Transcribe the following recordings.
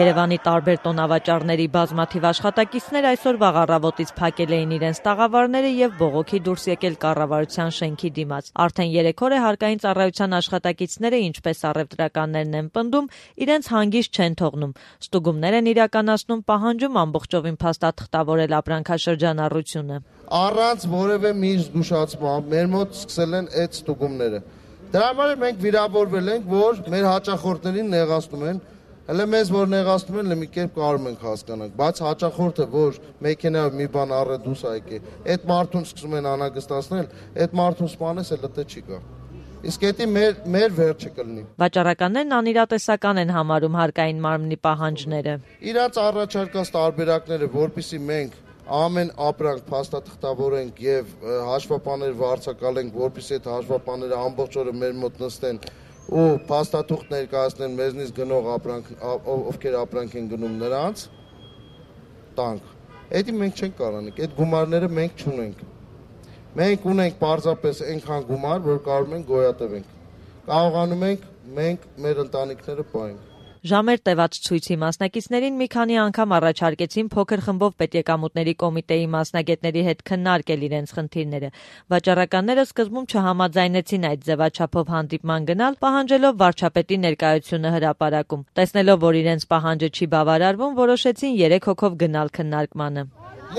Երևանի տարբեր տոնավաճառների բազմաթիվ աշխատակիցներ այսօր վաղ առավոտից փակել էին իրենց տաղավարները եւ բողոքի դուրս եկել կառավարության շենքի դիմաց։ Արդեն 3 օր է հարկային ծառայության աշխատակիցները, ինչպես առևտրականներն են պնդում, իրենց հանգիստ չեն թողնում։ Ստուգումներ են իրականացնում, պահանջում ամբողջովին փաստաթղթավորել ապրանքաշրջանառությունը։ Առանց որևէ մի զգուշացման մեր մոտ սկսել են այդ ստուգումները։ Դրա համար մենք վիրավորվել ենք, որ մեր հաճախորդներին նեղացնում են, հələ մեզ որ նեղացնում են, մի կերպ կարող ենք հասկանանք, բայց հաճախորդը, որ մեքենայով մի բան առել դուրս եկե, այդ մարդուն սկսում են անհանգստացնել, այդ մարդուն սպանես էլ դե չի գա։ Իսկ դա մեր վերջը կլինի։ Վաճառականներն անիրատեսական են համարում հարկային մարմնի պահանջները։ Իրաց առաջարկած տարբերակները, որպեսզի մենք ամեն ապրանք փաստաթղթավորենք եւ հաշվապաներ վարձակալենք, որպեսզի այդ հաշվապաները ամբողջ օրը մեր մոտ նստեն ու փաստաթուղթ ներկայացնեն մեզնից գնող ովքեր ապրանք են գնում նրանց տանք։ Դա մենք չենք կարողանանք, այդ գումարները մենք չունենք։ Մենք ունենք պարզապես այնքան գումար, որ կարող ենք գոյատևենք։ Կարողանում ենք մենք մեր ընտանիքները պահենք։ Ժամեր տևած ցույցի մասնակիցներին մի քանի անգամ առաջարկեցին փոքր խմբով պետեկամուտների կոմիտեի մասնագետների հետ քննարկել իրենց խնդիրները։ Վաճառականները սկզբում չհամաձայնեցին այդ ձևաչափով հանդիպման գնալ, պահանջելով վարչապետի ներկայությունը հրապարակում։ Տեսնելով, որ իրենց պահանջը չի բավարարվում, որոշեցին 3 հոգով գնալ քննարկմանը։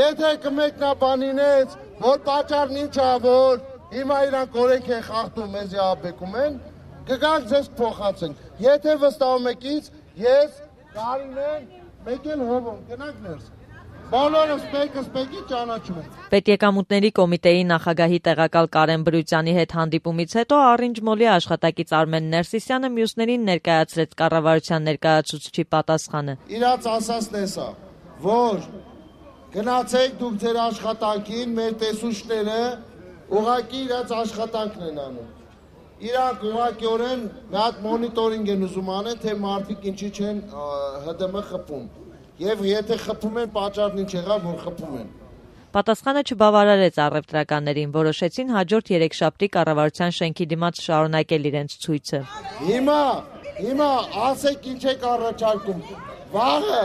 Եթե կմեկնաբանինեց, որ պատճառն ինչ է, որ հիմա իրանք օրենք են խախտում, մեզի աբեկում են, կգանք ձեզ փոխացենք։ Եթե վստահում եք ինձ, ես Կարինեն մեկ էլ հովում, գնանք ներս։ Բոլորը սպեկի ճանաչում են։ Պետեկամուտների կոմիտեի նախագահի տեղակալ Կարեն Բրույցյանի հետ հանդիպումից հետո Orange Mall-ի աշխատակից Արմեն Ներսիսյանը մյուսներին ներկայացրեց կառավարության ներկայացուցչի պատասխանը։ Իրաց ասածն է սա, որ գնացեք դուք ձեր աշխատանքին, մեր տեսուչները ուղղակի իրաց աշխատանքն են անում։ Իրանք ուղղակիորեն մի հատ մոնիտորինգ են ուզում անեն, թե մարդիկ ինչի չեն ՀԴՄ խփում։ Եվ եթե խփում են, պատճառն ինչ եղավ, որ խփում են։ Պատասխանը չբավարարեց առևտրականներին, որոշեցին հաջորդ երեքշաբթի կառավարության շենքի դիմաց շարունակել իրենց ցույցը։ Հիմա ասեք ինչ եք առաջարկում։ Վաղը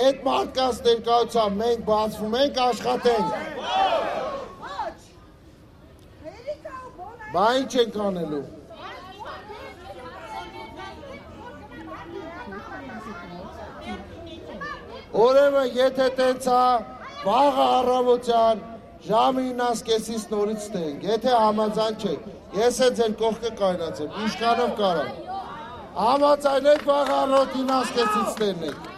այդ մարդկանց ներկայությամբ մենք բացվում ենք, աշխատենք։ Բա ինչ ենք անելու։ Ուրեմն եթե տենց է, վաղը առավոտյան ժամը 9:30-ից նորից ստենք, եթե համաձայն չեք, ես է ձեր կողքը կայնացեմ, ինչքանով կարամ։ Համաձայնեք վաղը առավոտ 9:30-ից ստենենք։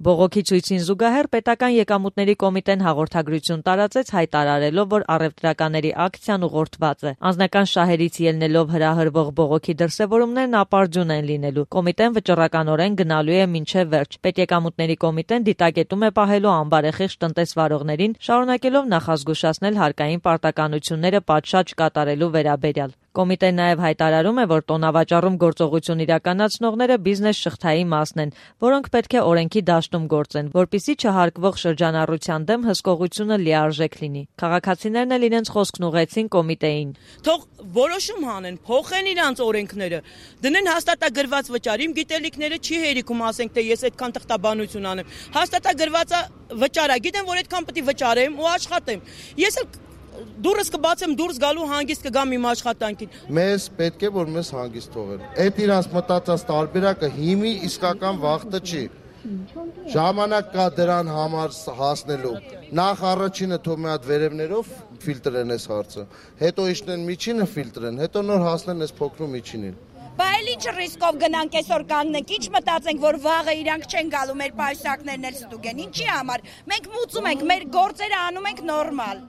Բողոքի ցույցին զուգահեռ պետական եկամուտների կոմիտեն հաղորդագրություն տարածեց հայտարարելով, որ առևտրականների ակցիան ուղղորդված է։ Անձնական շահերից ելնելով հրահրվող բողոքի դրսևորումներն ապարդյուն են լինելու։ Կոմիտեն վճռականորեն գնալու է մինչև վերջ։ Պետեկամուտների կոմիտեն դիտակետում է պահելու անբարեխիղճ տնտեսվարողներին, շարունակելով նախազգուշացնել հարկային պարտականությունները պատշաճ կատարելու վերաբերյալ։ Կոմիտեն նաև հայտարարում է, որ տոնավաճառում գործողություն իրականացնողները բիզնես շղթայի մասն են, որոնք պետք է օրենքի դաշտում գործեն, որպեսզի չհարկվող շրջանառության դեմ հսկողությունը լիարժեք լինի։ Քաղաքացիներն էլ իրենց խոսքն ուղղեցին կոմիտեին։ Թող որոշում հանեն, փոխեն իրանց օրենքները, դնեն հաստատագրված վճար, իմ գիտելիքները չի հերիքում, ասենք թե ես այդքան թղթաբանություն անեմ։ Հաստատագրված վճար է, գիտեմ, որ այդքան պետք է վճարեմ ու աշխատեմ։ Ես էլ դուրս կբացեմ, դուրս գալու հանգիստ կգամ իմ աշխատանքին։ Մեզ պետք է որ մեզ հանգիստ թողեն։ Այդ իրանց մտածած տարբերակը հիմի իսկական վախտը չի։ Ժամանակ կա դրան համար հասնելու։ Նախ առաջինը թող մի հատ վերևներով ֆիլտրեն այս հարցը, հետո իջնեն միջինը ֆիլտրեն, հետո նոր հասնեն այս փոքրու միջինին։ Բա էլ ինչ ռիսկով գնանք այսօր կանգնենք, ինչ մտածենք, որ վաղը իրանք չեն գալու, մեր պայուսակներն էլ ստուգեն, ինչի համար։ Մենք մուծում ենք, մեր գործերը անում ենք նորմալ։